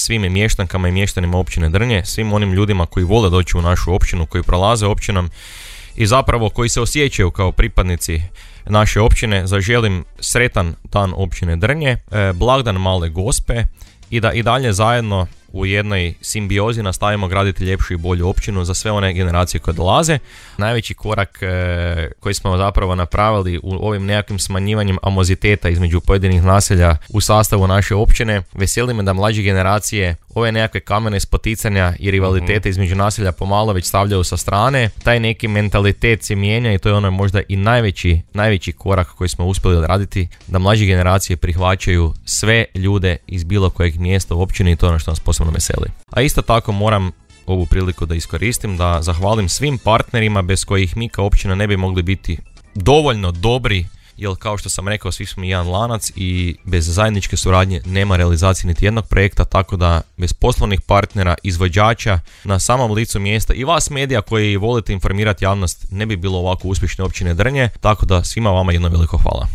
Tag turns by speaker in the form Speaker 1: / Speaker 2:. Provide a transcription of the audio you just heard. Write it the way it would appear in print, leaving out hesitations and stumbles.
Speaker 1: svim mještankama i mještanima općine Drnje, svim onim ljudima koji vole doći u našu općinu, koji prolaze općinom i zapravo koji se osjećaju kao pripadnici naše općine, zaželim sretan dan općine Drnje, blagdan Male Gospe i da i dalje zajedno u jednoj simbiozi nastavimo graditi ljepšu i bolju općinu za sve one generacije koje dolaze. Najveći korak koji smo zapravo napravili u ovim nekakvim smanjivanjem amoziteta između pojedinih naselja u sastavu naše općine, veseli me da mlađe generacije ove nekakve kamene spoticanja i rivalitete između naselja pomalo već stavljaju sa strane. Taj neki mentalitet se mijenja i to je ono možda i najveći korak koji smo uspjeli raditi, da mlađe generacije prihvaćaju sve ljude iz bilo kojeg mjesta u općini i to je ono što nas posebno veseli. A isto tako moram ovu priliku da iskoristim da zahvalim svim partnerima bez kojih mi kao općina ne bi mogli biti dovoljno dobri, jer kao što sam rekao, svi smo jedan lanac i bez zajedničke suradnje nema realizacije niti jednog projekta, tako da bez poslovnih partnera, izvođača na samom licu mjesta i vas medija koji volite informirati javnost ne bi bilo ovako uspješne općine Drnje, tako da svima vama jedno veliko hvala.